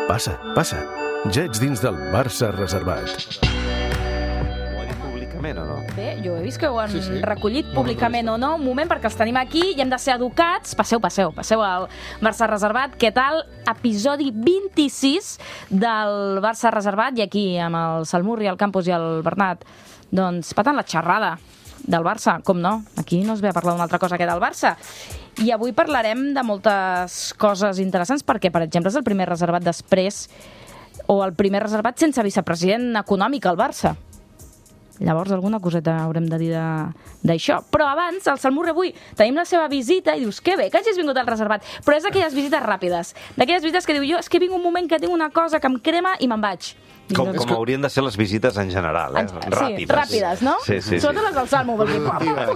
Passa, passa. Ja ets dins del Barça reservat. Ho ha dit públicament o no? Bé, jo he vist que ho han recollit públicament o no. Un moment, perquè els tenim aquí i hem de ser educats. Passeu al Barça reservat. Què tal? Episodi 26 del Barça reservat. I aquí, amb el Salmurri, el Campos i el Bernat, doncs patant la xerrada del Barça. Com no? Aquí no es ve a parlar d'una altra cosa que del Barça. I avui parlarem de moltes coses interessants, perquè, per exemple, és el primer reservat després, o el primer reservat sense vicepresident econòmic al Barça. Llavors, alguna coseta haurem de dir d'això. Però abans, al Salmurri avui, tenim la seva visita i dius, que bé, que hagis vingut al reservat. Però és d'aquelles visites ràpides. D'aquelles visites que diu, jo és que vinc un moment que tinc una cosa que em crema i me'n vaig. Com haurien de ser les visites en general, ràpides. Sí, ràpides, no? Sí. Sobretot les del Salmo, vol dir, breu.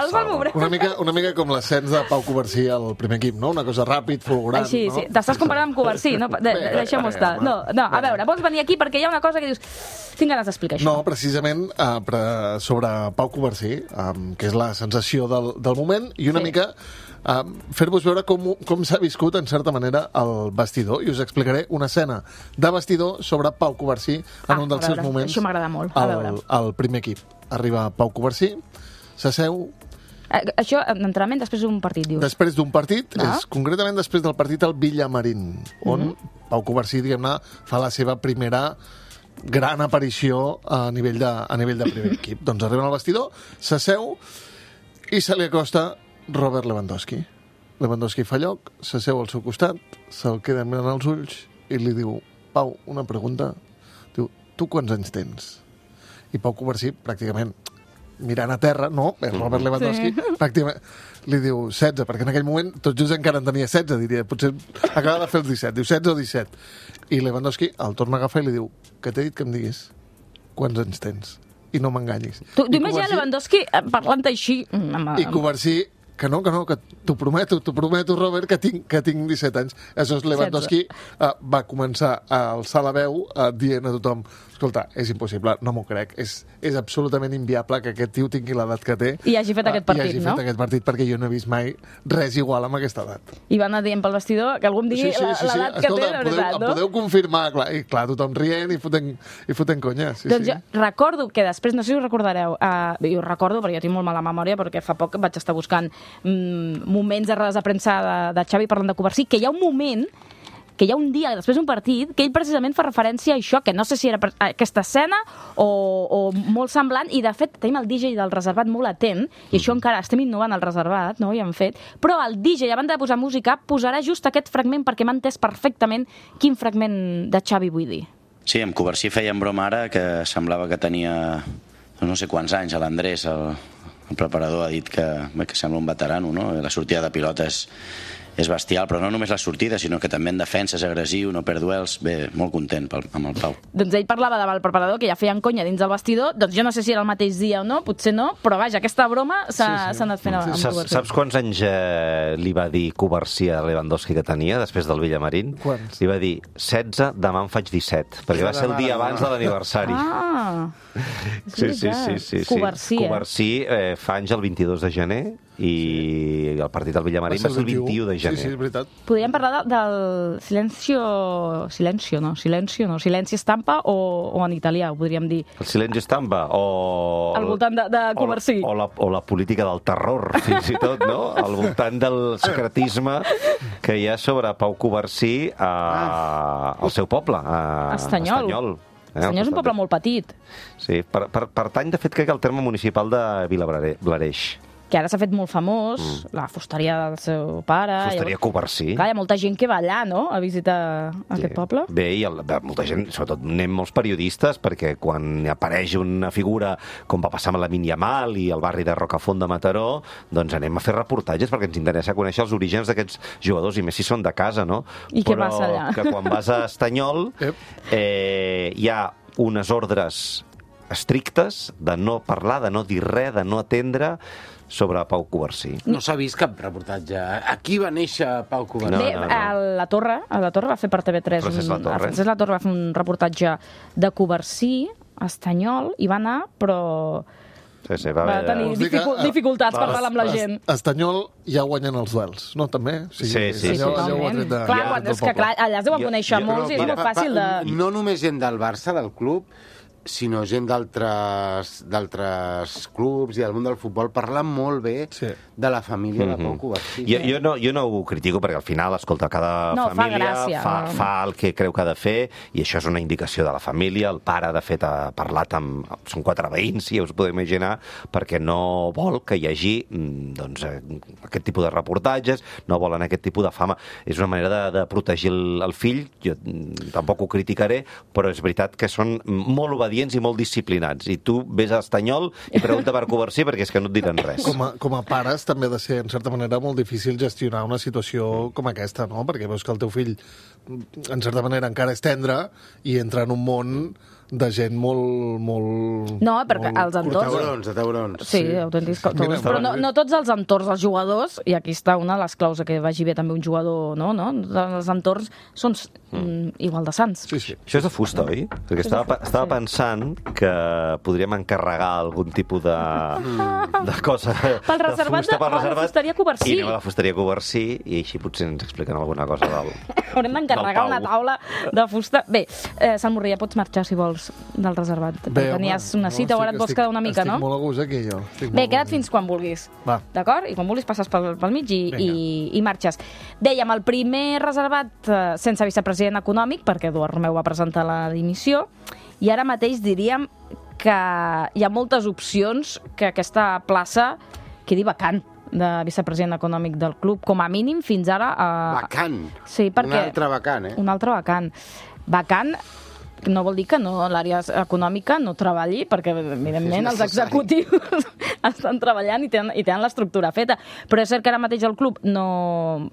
El Salmo, breu. Una mica com l'ascens de Pau Covarsí al primer equip, no? Una cosa ràpid, fulgurant, Així, no? sí. T'estàs comparant amb Covarsí, no? Deixem-ho estar. No, a veure, vols venir aquí perquè hi ha una cosa que dius, tinc ganes d'explicar això. No, precisament sobre Pau Covarsí, que és la sensació del moment, i una mica fer-vos veure com s'ha viscut, en certa manera, el vestidor. I us explicaré una escena de vestidor sobre Pau Covarsí en un dels seus moments. Això m'agrada molt, a veure. Al primer equip. Arriba Pau Covarsí, s'asseu... Això, d'entrenament, després d'un partit, dius? Després d'un partit, és concretament després del partit al Villamarín, on Pau Covarsí, diguem-ne, fa la seva primera gran aparició a nivell de primer equip. Doncs arriba al vestidor, s'asseu i se li acosta Robert Lewandowski. Lewandowski fa lloc, s'asseu al seu costat, se'l queda mirant als ulls i li diu, Pau, una pregunta. Diu, tu quants anys tens? I Pau Covarsí, pràcticament mirant a terra, no, el Robert Lewandowski, pràcticament li diu 16, perquè en aquell moment tot just encara en tenia 16, diria, potser acaba de fer els 17, diu 16 o 17. I Lewandowski el torna a agafar i li diu, que t'he dit que em diguis quants anys tens i no m'enganyis. Tu imagina Lewandowski parlant així. I Covarsí, que t'ho prometo, Robert, que tinc 17 anys. Aleshores, Lewandowski va començar a alçar la veu dient a tothom, escolta, és impossible, no m'ho crec, és absolutament inviable que aquest tio tingui l'edat que té. I hagi fet aquest partit, no? I hagi fet aquest partit, perquè jo no he vist mai res igual amb aquesta edat. I va anar dient pel vestidor que algú em digui l'edat que té, de veritat, no? Podeu confirmar, clar, i clar, tothom rient i fotent conya. Doncs jo recordo que després, no sé si ho recordareu, jo ho recordo perquè jo tinc molt mala memòria, perquè fa poc vaig estar buscant moments de rodes de premsa de Xavi parlant de Covarsí, que hi ha un moment, que hi ha un dia després d'un partit, que ell precisament fa referència a això, que no sé si era aquesta escena o molt semblant, i de fet tenim el DJ del reservat molt atent, i això encara estem innovant al reservat, no? Ja hem fet, però el DJ, a banda de posar música, posarà just aquest fragment perquè m'ha entès perfectament quin fragment de Xavi vull dir. Sí, amb Covarsí feien broma ara que semblava que tenia no sé quants anys. L'Andrés, el preparador, ha dit que sembla un veterano, no? La sortida de pilota és bestial, però no només la sortida, sinó que també en defensa és agressiu, no perd duels. Bé, molt content amb el Pau. Doncs ell parlava davant el preparador, que ja feien conya dins del vestidor, doncs jo no sé si era el mateix dia o no, potser no, però vaja, aquesta broma s'ha anat fent amb Covarsí. Saps quants anys li va dir Covarsí a Lewandowski que tenia després del Villamarín? Quants? Li va dir 16, demà en faig 17, perquè va ser el dia abans de l'aniversari. Sí. Covarsí fa anys el 22 de gener i el partit del Villamarín va ser el 21 de gener. Sí, és veritat. Podríem parlar del silenci estampa o en italià, ho podríem dir. El silenci estampa o... Al voltant de Covarsí. O la política del terror, fins i tot, no? Al voltant del secretisme que hi ha sobre Pau Covarsí al seu poble, a Estanyol. Estanyol és un poble molt petit. Sí, pertany, de fet, crec que al terme municipal de Vilablareix. Que ara s'ha fet molt famós, la fusteria del seu pare... Fusteria Covarsí. Clar, hi ha molta gent que va allà, no?, a visitar aquest poble. Bé, i molta gent, sobretot anem molts periodistes, perquè quan apareix una figura com va passar amb la Lamine Yamal i el barri de Rocafont de Mataró, doncs anem a fer reportatges perquè ens interessa conèixer els orígens d'aquests jugadors, i més si són de casa, no? I què passa allà? Però que quan vas a Estanyol hi ha unes ordres estrictes de no parlar, de no dir res, de no atendre sobre Pau Covarsí. No s'ha vist cap reportatge. Aquí va néixer Pau Covarsí. Bé, a la Torre va fer per TV3. Francesc Latorre va fer un reportatge de Covarsí a Estanyol i va anar, però Sí, va tenir dificultats per parlar amb la gent. Estanyol ja guanyen els duels, no? També? Sí. Totalment. Clar, és que allà es deuen conèixer molts i és molt fàcil de... No només gent del Barça, del club, sinó gent d'altres clubs i del món del futbol parlen molt bé de la família de Pau Covarsí. Jo no ho critico perquè al final, escolta, cada família fa el que creu que ha de fer i això és una indicació de la família. El pare, de fet, ha parlat amb... Són 4 veïns, si ja us podeu imaginar, perquè no vol que hi hagi aquest tipus de reportatges, no volen aquest tipus de fama. És una manera de protegir el fill. Jo tampoc ho criticaré, però és veritat que són molt obedients i molt disciplinats. I tu ves a Estanyol i pregunta per Covarsí perquè és que no et diran res. Com a pares també ha de ser, en certa manera, molt difícil gestionar una situació com aquesta, no? Perquè veus que el teu fill, en certa manera, encara és tendre i entra en un món de gent molt... No, perquè els entorns... Taurons. Sí, autèntics taurons. Però no tots els entorns dels jugadors, i aquí està una de les claus que vagi bé també un jugador, no? Els entorns són igual de sants. Sí. Això és de fusta, oi? Perquè estava pensant que podríem encarregar algun tipus de cosa... Pel reservat de la fusteria Covarsí. I anem a la fusteria Covarsí i així potser ens expliquen alguna cosa del Haurem d'encarregar una taula de fusta. Bé, Sant Morrià, pots marxar, si vols, del reservat. Tenies una cita o ara et vols quedar una mica, no? Estic molt a gust aquí, jo. Bé, queda't fins quan vulguis. D'acord? I quan vulguis passes pel mig i marxes. Dèiem, el primer reservat sense vicepresident econòmic, perquè Eduard Romeu va presentar la dimissió, i ara mateix diríem que hi ha moltes opcions que aquesta plaça quedi vacant de vicepresident econòmic del club, com a mínim fins ara... Vacant? Sí, perquè... Un altre vacant, Un altre vacant. Vacant no vol dir que l'àrea econòmica no treballi, perquè, evidentment, els executius estan treballant i tenen l'estructura feta. Però és cert que ara mateix el club no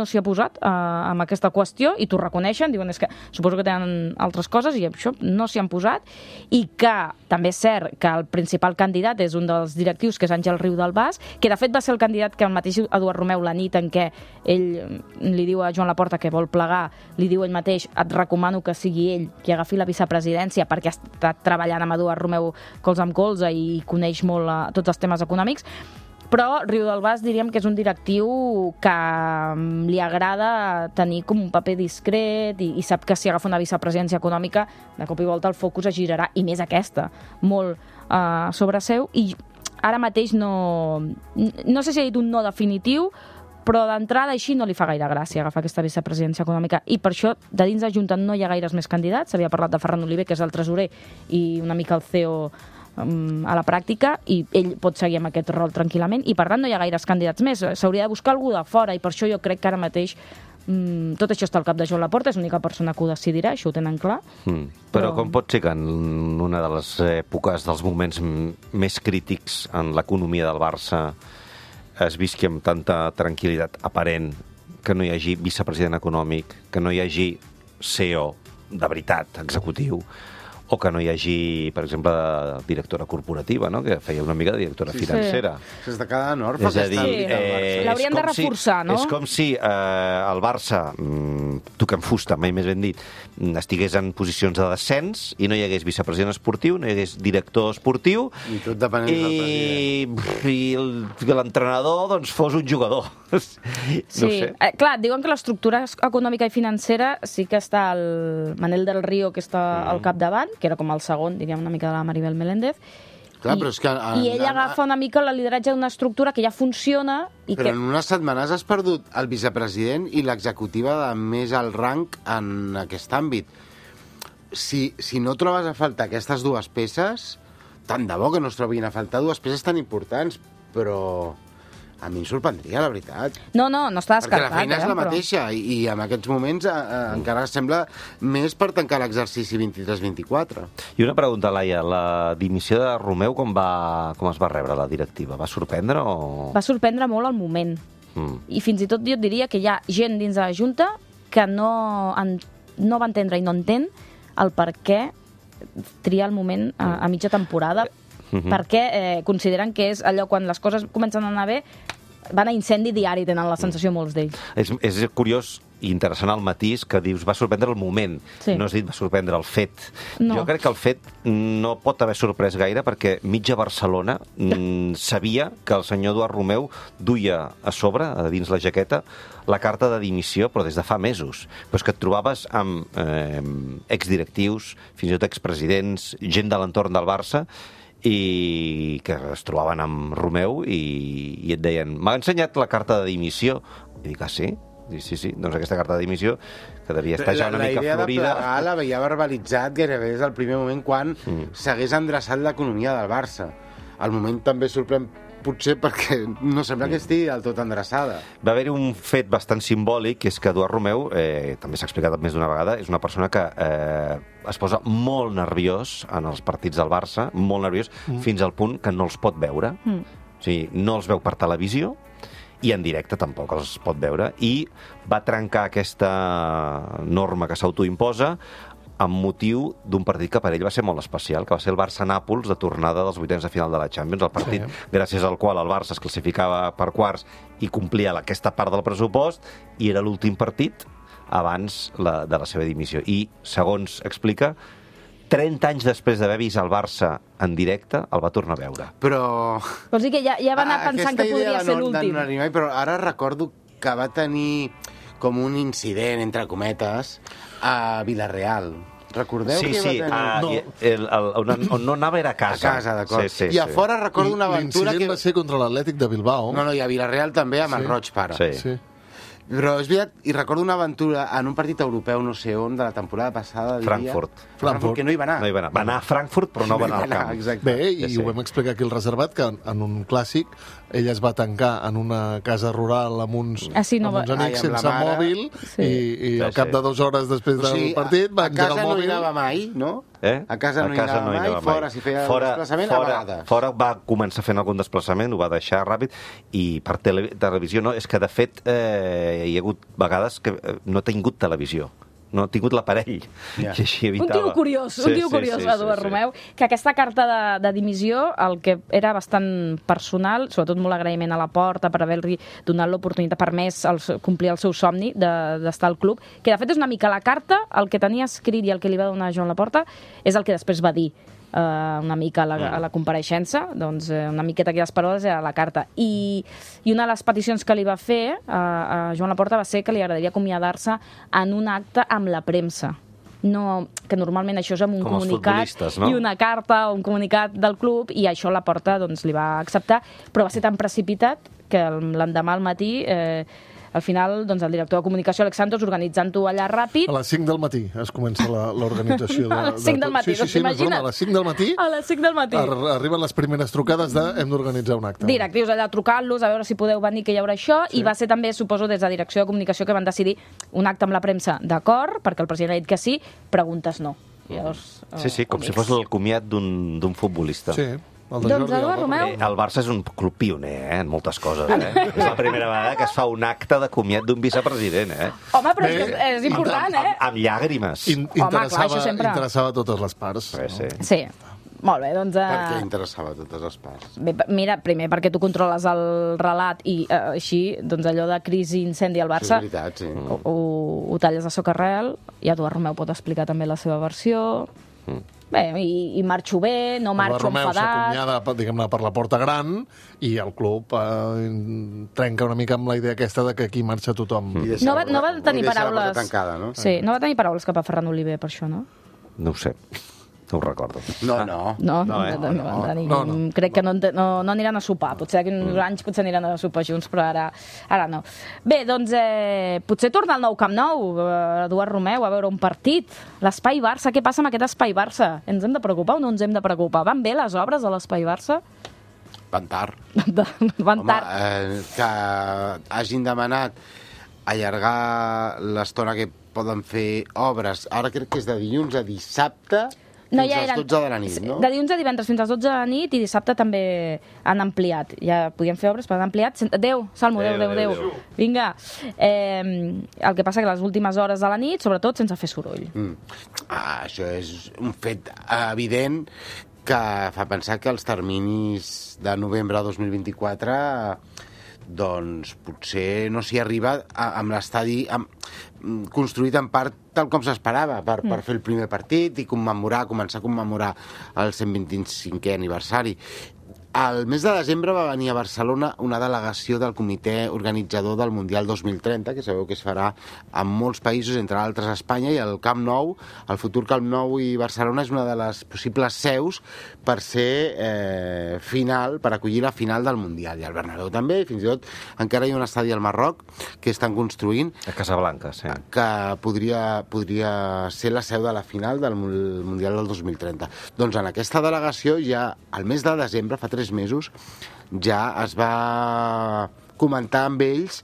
s'hi ha posat amb aquesta qüestió i t'ho reconeixen, diuen és que suposo que tenen altres coses i això no s'hi han posat, i que també és cert que el principal candidat és un dels directius, que és Àngel Riu del Bas, que de fet va ser el candidat que el mateix Eduard Romeu, la nit en què ell li diu a Joan Laporta que vol plegar, li diu ell mateix, et recomano que sigui ell qui agafi la vicepresidència perquè ha estat treballant amb Eduard Romeu colze amb colze i coneix molt tots els temes econòmics. Però Riu del Bas diríem que és un directiu que li agrada tenir com un paper discret i sap que si agafa una vicepresidència econòmica de cop i volta el focus es girarà, i més aquesta, molt sobre seu, i ara mateix no sé si ha dit un no definitiu, però d'entrada així no li fa gaire gràcia agafar aquesta vicepresidència econòmica, i per això de dins de Junta no hi ha gaires més candidats. S'havia parlat de Ferran Oliver, que és el tresorer i una mica el CEO a la pràctica, i ell pot seguir amb aquest rol tranquil·lament, i per tant no hi ha gaires candidats més. S'hauria de buscar algú de fora, i per això jo crec que ara mateix tot això està al cap de Joan Laporta, és l'única persona que ho decidirà, això ho tenen clar. Però com pot ser que en una de les èpoques, dels moments més crítics en l'economia del Barça, es visqui amb tanta tranquil·litat aparent, que no hi hagi vicepresident econòmic, que no hi hagi CEO de veritat, executiu, o que no hi hagi, per exemple, directora corporativa, no? Que feia una mica de directora financera. S'està quedant orfe. És a dir, l'haurien de reforçar, no? És com si el Barça, toquem fusta, mai més ben dit, estigués en posicions de descens i no hi hagués vicepresident esportiu, no hi hagués director esportiu, i tot depenent del president. I l'entrenador doncs, fos un jugador. Sí, clar, diuen que l'estructura econòmica i financera sí que està el Manel del Río, que està al capdavant, que era com el segon, diríem, una mica de la Maribel Meléndez. Clar, però és que I ell agafa una mica el lideratge d'una estructura que ja funciona. Però en unes setmanes has perdut el vicepresident i l'executiva de més alt rang en aquest àmbit. Si no trobes a faltar aquestes dues peces, tant de bo que no es trobin a faltar dues peces tan importants, però a mi em sorprendria, la veritat. No està descartat. Perquè la feina és la mateixa i en aquests moments encara sembla més per tancar l'exercici 23-24. I una pregunta, Laia, la dimissió de Romeu com es va rebre la directiva? Va sorprendre o...? Va sorprendre molt al moment. I fins i tot jo et diria que hi ha gent dins de la Junta que no va entendre i no entén el per què triar el moment a mitja temporada, perquè consideren que és allò quan les coses comencen a anar bé, van a incendi diari, tenen la sensació molts d'ells. És curiós interessant el matís que dius va sorprendre el moment, no has dit va sorprendre el fet. Jo crec que el fet no pot haver sorprès gaire perquè mitja Barcelona sabia que el senyor Eduard Romeu duia a sobre, a dins la jaqueta, la carta de dimissió, però des de fa mesos. Però és que et trobaves amb exdirectius, fins i tot expresidents, gent de l'entorn del Barça, i que es trobaven amb Romeu i et deien, m'ha ensenyat la carta de dimissió. I dic, sí? Sí, doncs aquesta carta de dimissió, que devia estar ja una mica florida... La idea de plegar la veia verbalitzat gairebé des del primer moment quan s'hagués endreçat l'economia del Barça. El moment també sorprèn potser perquè no sembla que estigui del tot endreçada. Va haver-hi un fet bastant simbòlic, que és que Eduard Romeu, també s'ha explicat més d'una vegada, és una persona que es posa molt nerviós en els partits del Barça, molt nerviós, fins al punt que no els pot veure. O sigui, no els veu per televisió, i en directe tampoc els pot veure, i va trencar aquesta norma que s'autoimposa amb motiu d'un partit que per ell va ser molt especial, que va ser el Barça-Nàpols de tornada dels vuitens de final de la Champions, el partit gràcies al qual el Barça es classificava per quarts i complia aquesta part del pressupost, i era l'últim partit abans de la seva dimissió. I, segons explica, 30 anys després d'haver vist el Barça en directe, el va tornar a veure. Però... Vols dir que ja va anar pensant que podria ser l'últim. Però ara recordo que va tenir com un incident, entre cometes, a Vilareal. Recordeu que va tenir... On no anava era a casa. A casa, d'acord. I a fora recordo una aventura que... L'incident va ser contra l'Atlètic de Bilbao. No, i a Vilareal també, amb el Roig Pare. Sí. Però és veritat, i recordo una aventura en un partit europeu, no sé on, de la temporada passada, diria... Frankfurt, que no hi va anar. No hi va anar. Va anar a Frankfurt, però no va anar al camp. Exacte. Bé, i ho vam explicar aquí al Reservat, que en un clàssic ell es va tancar en una casa rural amb uns amics sense mòbil, i al cap de 2 hores després del partit va engegar el mòbil. A casa no hi anava mai, no? A casa no hi anava mai, fora si feia el desplaçament, a vegades. Fora va començar fent algun desplaçament, ho va deixar ràpid, i per televisió no, és que de fet hi ha hagut vegades que no ha tingut televisió, no ha tingut l'aparell, i així evitava... Un tio curiós, Eduard Romeu, que aquesta carta de dimissió, el que era bastant personal, sobretot molt agraïment a la Porta per haver-li donat l'oportunitat, permès complir el seu somni d'estar al club, que de fet és una mica la carta, el que tenia escrit i el que li va donar Joan Laporta, és el que després va dir una mica a la compareixença, doncs una miqueta aquelles paraules era la carta. I una de les peticions que li va fer a Joan Laporta va ser que li agradaria acomiadar-se en un acte amb la premsa. No, que normalment això és amb un comunicat i una carta o un comunicat del club, i això Laporta doncs, li va acceptar, però va ser tan precipitat que l'endemà al matí... Al final, doncs, el director de comunicació, Alex Santos, organitzant-ho allà ràpid... A les 5 del matí es comença l'organització. A les 5 del matí, t'imagines? A les 5 del matí... A les 5 del matí. Arriben les primeres trucades de hem d'organitzar un acte. Directius allà trucant-los, a veure si podeu venir, que hi haurà això, i va ser també, suposo, des de direcció de comunicació que van decidir un acte amb la premsa d'acord, perquè el president ha dit que sí, preguntes no. Sí, com si fos el comiat d'un futbolista. Sí. Doncs Eduard Romeu... El Barça és un club pioner, en moltes coses. És la primera vegada que es fa un acte de comiat d'un vicepresident. Home, però és important, Amb llàgrimes. Interessava a totes les parts. Sí. Molt bé, doncs... Per què interessava a totes les parts? Bé, mira, primer perquè tu controles el relat i així, doncs allò de crisi, incendi al Barça... Sí, veritat, sí. Ho talles a socarrel, i Eduard Romeu pot explicar també la seva versió... Bé, i marxo bé, no marxo enfadat... S'acomiada, diguem-ne, per la porta gran, i el club trenca una mica amb la idea aquesta de que aquí marxa tothom. No va tenir paraules... Tancada, no? Sí, no va tenir paraules cap a Ferran Oliver per això, no? No ho sé. No ho recordo. Crec que no aniran a sopar. Potser d'aquí uns anys aniran a sopar junts, però ara no. Bé, doncs potser torna al nou Camp Nou, Eduard Romeu, a veure un partit. L'Espai Barça, què passa amb aquest Espai Barça? Ens hem de preocupar o no ens hem de preocupar? Van bé les obres de l'Espai Barça? Van tard. Home, que hagin demanat allargar l'estona que poden fer obres. Ara crec que és de dilluns a dissabte... Fins a les 12 de la nit, no? De dilluns a divendres fins a les 12 de la nit, i dissabte també han ampliat. Ja podien fer obres, però han ampliat. Adéu, Salmo, adéu. Vinga. El que passa que les últimes hores de la nit, sobretot sense fer soroll. Això és un fet evident que fa pensar que els terminis de novembre de 2024 doncs potser no s'hi arriba amb l'estadi construït en part tal com s'esperava per fer el primer partit i començar a commemorar el 125è aniversari. Al mes de desembre va venir a Barcelona una delegació del comitè organitzador del Mundial 2030, que sabeu que es farà en molts països, entre altres Espanya, i el Camp Nou, el futur Camp Nou i Barcelona és una de les possibles seus per ser final, per acollir la final del Mundial. I el Bernabéu també, i fins i tot encara hi ha un estadi al Marroc que estan construint. A Casablanca, sí. Que podria ser la seu de la final del Mundial del 2030. Doncs en aquesta delegació ja al mes de desembre, fa 3 mesos, ja es va comentar amb ells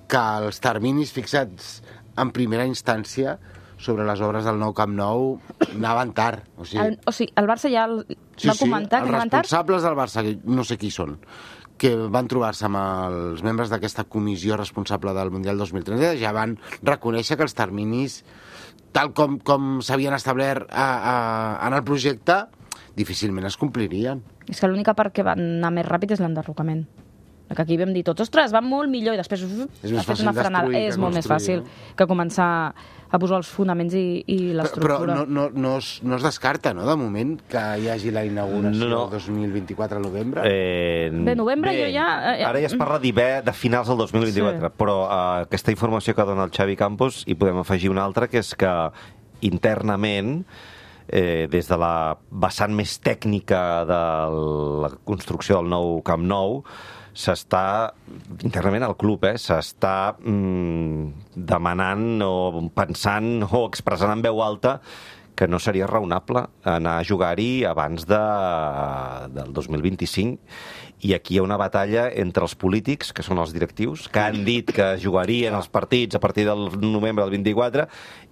que els terminis fixats en primera instància sobre les obres del nou Camp Nou anaven tard. O sigui, el Barça ja va comentar que anaven tard? Els responsables del Barça, no sé qui són, que van trobar-se amb els membres d'aquesta comissió responsable del Mundial 2030, ja van reconèixer que els terminis, tal com s'havien establert en el projecte, difícilment es complirien. És que l'única part que va anar més ràpid és l'enderrocament. Que aquí vam dir tots, ostres, va molt millor, i després ha fet una frenada. És molt més fàcil que començar a posar els fonaments i l'estructura. Però no es descarta, no?, de moment, que hi hagi la inauguració el 2024 al novembre? Bé, novembre jo ja... Ara ja es parla de finals del 2024, però aquesta informació que dona el Xavi Campos hi podem afegir una altra, que és que internament, des de la vessant més tècnica de la construcció del nou Camp Nou, s'està, internament al club, s'està demanant o pensant o expressant en veu alta que no seria raonable anar a jugar-hi abans del 2025. I aquí hi ha una batalla entre els polítics, que són els directius, que han dit que jugarien els partits a partir del novembre del 24,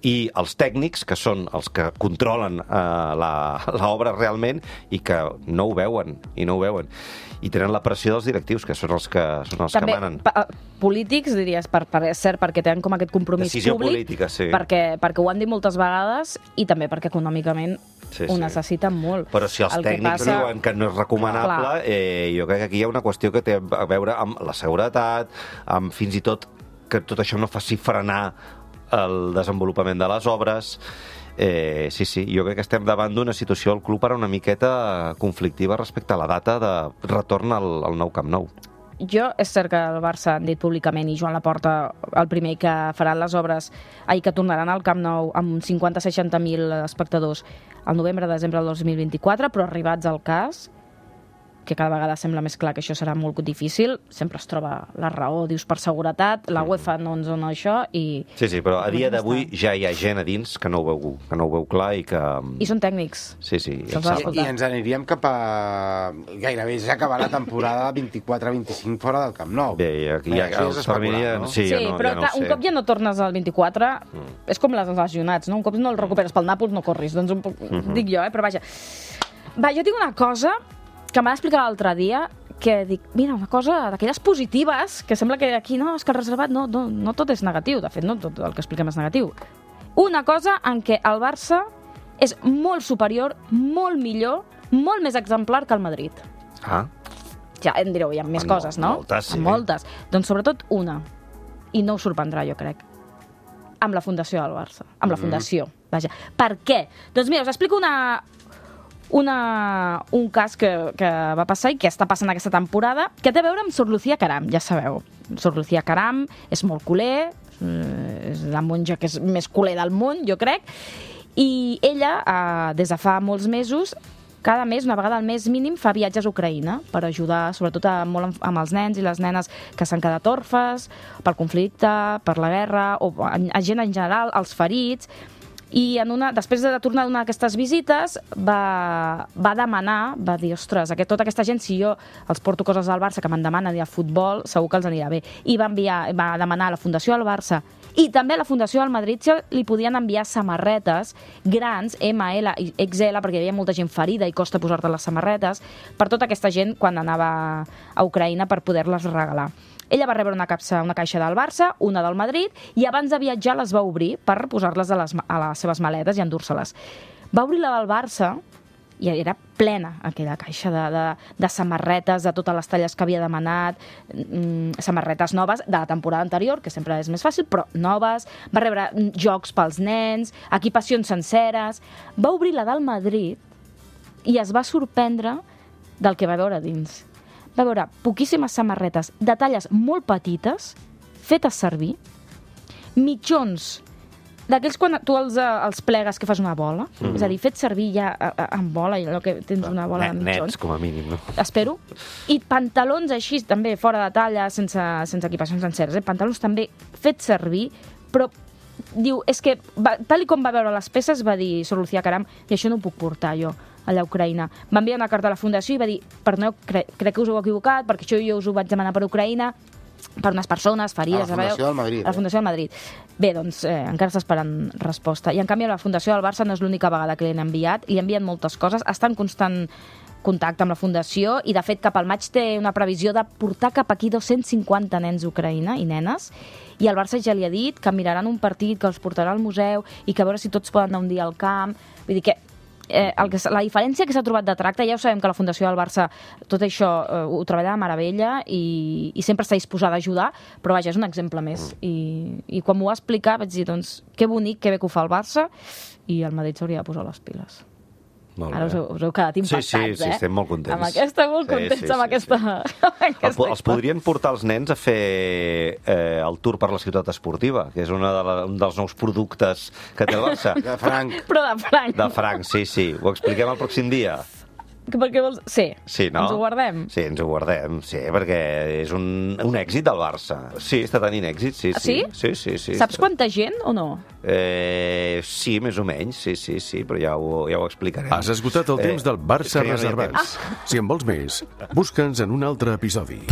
i els tècnics, que són els que controlen l'obra realment i que no ho veuen, i tenen la pressió dels directius, que són els que manen. També polítics, diries, és cert, perquè tenen com aquest compromís decisió públic, política, sí. perquè ho han dit moltes vegades, i també perquè econòmicament ho necessiten molt. Però si els tècnics diuen que no és recomanable, jo crec que aquí hi ha una qüestió que té a veure amb la seguretat, amb fins i tot que tot això no faci frenar el desenvolupament de les obres. Sí, jo crec que estem davant d'una situació al club ara una miqueta conflictiva respecte a la data de retorn al nou Camp Nou. És cert que el Barça han dit públicament, i Joan Laporta el primer, que faran les obres que tornaran al Camp Nou amb 50-60.000 espectadors al novembre-desembre del 2024, però arribats al cas, que cada vegada sembla més clar que això serà molt difícil, sempre es troba la raó, dius per seguretat, la UEFA no ens dona això i... Sí, però a dia d'avui ja hi ha gent a dins que no ho veu clar i que... I són tècnics. Sí. I ens aniríem cap a... Gairebé ja acabar la temporada 24-25 fora del Camp Nou. Bé, aquí ja els terminia... No? Sí, però clar, un cop ja no tornes al 24, és com les lesionats, no? Un cop no el recuperes pel Nàpols no corris, doncs dic jo, però vaja. Jo tinc una cosa que m'ha d'explicar l'altre dia, que dic, mira, una cosa d'aquelles positives, que sembla que aquí no, és que el reservat no tot és negatiu, de fet, no tot el que expliquem és negatiu. Una cosa en què el Barça és molt superior, molt millor, molt més exemplar que el Madrid. Ja em direu, hi ha més coses, no? Moltes, sí. Moltes. Doncs sobretot una, i no us sorprendrà, jo crec, amb la fundació del Barça. Amb la fundació, vaja. Per què? Doncs mira, us explico un cas que va passar i que està passant aquesta temporada, que té a veure amb Sor Lucía Caram, ja sabeu. Sor Lucía Caram és molt culer, és la monja que és més culer del món, jo crec, i ella, des de fa molts mesos, cada mes, una vegada al mes mínim, fa viatges a Ucraïna per ajudar, sobretot molt amb els nens i les nenes que s'han quedat orfes pel conflicte, per la guerra, o a gent en general, als ferits. I després de tornar a donar aquestes visites va demanar, va dir, ostres, tota aquesta gent, si jo els porto coses al Barça que me'n demanen i al futbol, segur que els anirà bé. I va demanar a la Fundació del Barça i també a la Fundació del Madrid si li podien enviar samarretes grans, ML i XL, perquè hi havia molta gent ferida i costa posar-te les samarretes, per tota aquesta gent quan anava a Ucraïna per poder-les regalar. Ella va rebre una caixa del Barça, una del Madrid, i abans de viatjar les va obrir per posar-les a les seves maletes i endur-se-les. Va obrir la del Barça i era plena aquella caixa de samarretes de totes les talles que havia demanat, samarretes noves de la temporada anterior, que sempre és més fàcil, però noves. Va rebre jocs pels nens, equipacions senceres. Va obrir la del Madrid i es va sorprendre del que va veure dins. Va veure poquíssimes samarretes de talles molt petites, fetes servir, mitjons d'aquells quan tu els plegues que fas una bola, és a dir, fet servir ja en bola, allò que tens una bola de mitjons. Nets, com a mínim, no? Espero. I pantalons així, també fora de talla, sense equipacions senceres, pantalons també fets servir, però diu, és que tal com va veure les peces va dir, Sor Lucía Caram, i això no ho puc portar jo allà a Ucraïna. Va enviar una carta a la Fundació i va dir, perdoneu, crec que us heu equivocat, perquè això jo us ho vaig demanar per Ucraïna, per unes persones ferides. A la Fundació del Madrid. A la Fundació del Madrid. Bé, doncs encara està esperant resposta. I en canvi a la Fundació del Barça no és l'única vegada que li han enviat, i li envien moltes coses, està en constant contacte amb la Fundació i de fet cap al maig té una previsió de portar cap aquí 250 nens d'Ucraïna i nenes, i el Barça ja li ha dit que miraran un partit, que els portarà al museu i que a veure si tots poden anar un dia al camp. Vull dir que la diferència que s'ha trobat de tracte, ja ho sabem que la Fundació del Barça tot això ho treballa de meravella i sempre està disposada a ajudar, però vaja, és un exemple més. I quan m'ho va explicar vaig dir, doncs, que bonic, que bé que ho fa el Barça, i el Madrid s'hauria de posar les piles. Ara us heu quedat impactats, sí, estem molt contents. Amb aquesta, molt contents amb aquesta... Els podrien portar els nens a fer el tour per la ciutat esportiva, que és un dels nous productes que té el Barça. De franc. Però de franc. De franc, sí. Ho expliquem el pròxim dia. Perquè vols... Sí, no? Ens ho guardem. Sí, ens ho guardem, sí, perquè és un èxit del Barça. Sí, està tenint èxit, sí. Sí? Sí. Saps quanta gent o no? Sí, més o menys, sí, però ja ho explicarem. Has esgotat el temps del Barça Reservats. Si en vols més, busca'ns en un altre episodi.